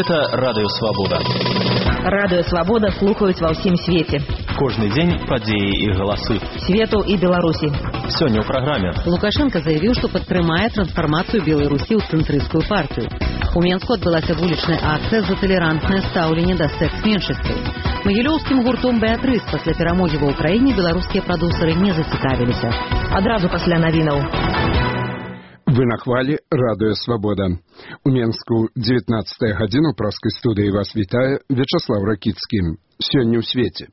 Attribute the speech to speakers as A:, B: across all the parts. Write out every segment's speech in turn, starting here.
A: Гэта Радыё Свабода.
B: Радыё Свабода слухаюць ва ўсім свеце.
A: Кожны дзень падзеі і галасы.
B: Свету і Беларусі.
A: Сёння ў праграме.
C: Лукашенко заявіў, што падтрымае трансфармацыю Беларусі ў цэнтрысцкую партыю. У Менску адбылася вулічная акцыя за талерантнае стаўленне да секс-меншасцей. Магілёўскім гуртом «Беатрыс» пасля перамогі ва ўкраіне беларускія прадусеры не зацікавіліся.
B: Адразу пасля навінаў.
D: Вы на хвалі Радыё Свабода. У Менску 19 гадзіну праскай студыі вас вітае Вячаслав Ракіцкі. Сёння ў свеце.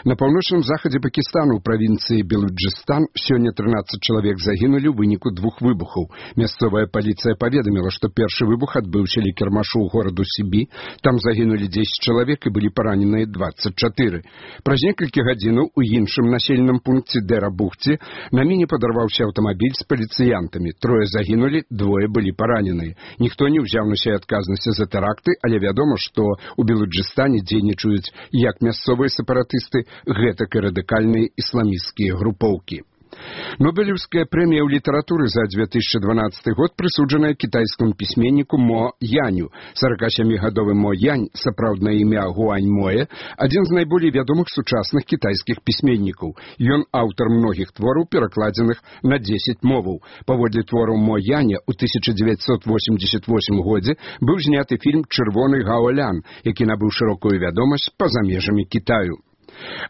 D: На паўночным захадзе Пакістану ў правінцыі Белуджыстан сёння 13 чалавек загінулі ў выніку двух выбухаў. Мясцовая паліцыя паведаміла, што першы выбух адбыўся ля кірмашу ў гораду Сібі. Там загінулі 10 чалавек і былі параненыя 24. Праз некалькі гадзінаў у іншым населеным пункце Дэра-Бухці на міне падарваўся аўтамабіль з паліцыянтамі. Трое загінулі, двое былі параненыя. Ніхто не ўзяў на сябе адказнасці за тэракты, але вядома, што ў Белуджыстане дзейнічаюць як мясцовыя сепаратысты, гэтак і радыкальныя ісламісцкія групоўкі. Нобелеўская прэмія ў літаратуры за 2012 год прысуджаная кітайскаму пісьменніку Мо Яню. 47-гадовы Мо Янь, сапраўднае імя Гуань Моэ, адзін з найболей вядомых сучасных кітайскіх пісьменнікаў. Ён аўтар многіх твораў, перакладзеных на 10 моваў. Паводле твораў Мо Яня ў 1988 годзе быў зняты фільм «Чырвоны Гаолян», які набыў шырокую вядомасць па-за межамі Кітаю.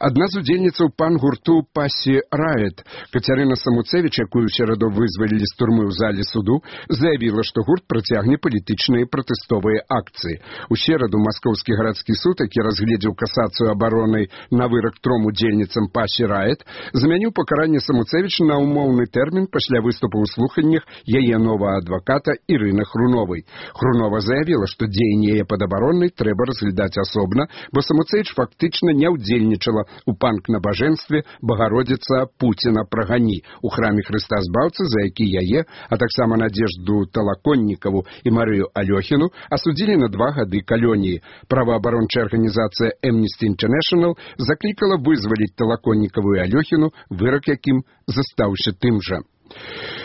D: Адна з удзельніцаў пан-гурту «Пасі Раэт», Кацярына Самуцевіч, якую ў сераду вызвалілі з турмы ў зале суду, заявіла, што гурт працягне палітычныя пратэстовыя акцыі. У сераду Маскоўскі гарадскі суд, які разгледзеў касацыю абароны на вырак 3 удзельніцам «Пасі Раэт», замяніў пакаранне Самуцевіч на ўмоўны тэрмін пасля выступу ў слуханнях яе новага адваката Ірыны Хруновай. Хрунова заявіла, што дзеянні яе падабароннай трэба разглядаць асобна, бо Самуцевіч фактычна не ўдзельнічала у панк-набажэнстве «Багародзіца Пуціна прагані» у храме Хрыста Збаўцы, за які яе, а таксама Надзежду Талаконнікаву і Марыю Алёхіну асудзілі на 2 гады калоніі. Праваабарончая арганізацыя Amnesty International заклікала вызваліць Талаконнікаву і Алёхіну, вырак якім застаўся тым жа.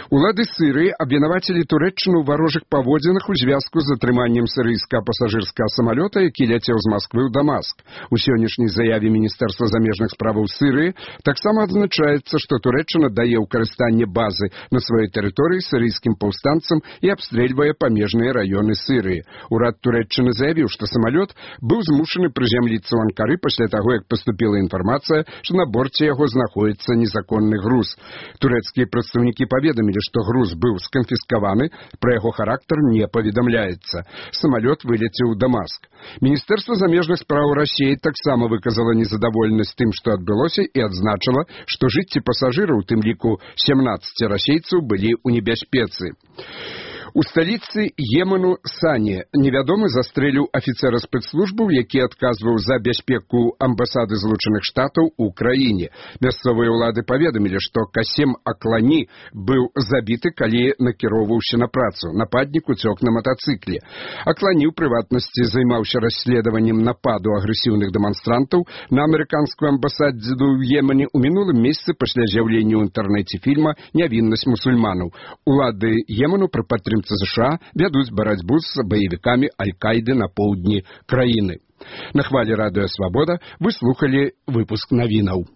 D: Улады Сырыі абвінавацілі Турэччыну ў варожых паводзінах у звязку з атрыманнем сырыйскага пасажырскага самалёта, які ляцеў з Масквы ў Дамаск. У сённяшняй заяве Міністэрства замежных справаў Сырыі таксама адзначаецца, што Турэччына дае ў карыстанне базы на сваёй тэрыторыі сырыйскім паўстанцам і абстрэльвае памежныя раёны Сырыі. Урад Турэччыны заявіў, што самалёт быў змушаны прызямліцца ў Анкары пасля таго, як паступіла інфармацыя, што на борце яго знаходзіцца незаконны груз. Турэцкія прадстаўнікі паведамілі, што груз быў сканфіскаваны, пра яго характар не паведамляецца. Самалёт вылецеў у Дамаск. Міністэрства замежных спраў Расіі таксама выказала незадаволенасць тым, што адбылося, і адзначыла, што жыцці пасажыраў, у тым ліку 17 расейцаў, былі ў небяспецы. У сталіцы Йемену Сані невядомы застрэліў афіцэра спецслужбаў, які адказваў за бяспеку амбасады Злучаных Штатаў у краіне. Мясцовыя ўлады паведамілі, што Касем Аклані быў забіты, калі накіроўваўся на працу. Нападнік уцёк на матацыкле. Аклані, ў прыватнасці, займаўся расследаваннем нападу агрэсіўных дэманстрантаў на амерыканскую амбасаду ў Йемене ў мінулым месяцы пасля з'яўлення ў інтэрнэце фільма «Нявіннасць мусульманаў». Улады Йемену пры падтрымцы США вядуць барацьбу з баевікамі Аль-Кайды на поўдні краіны. На хвалі Радыё Свабода вы слухалі выпуск навінаў.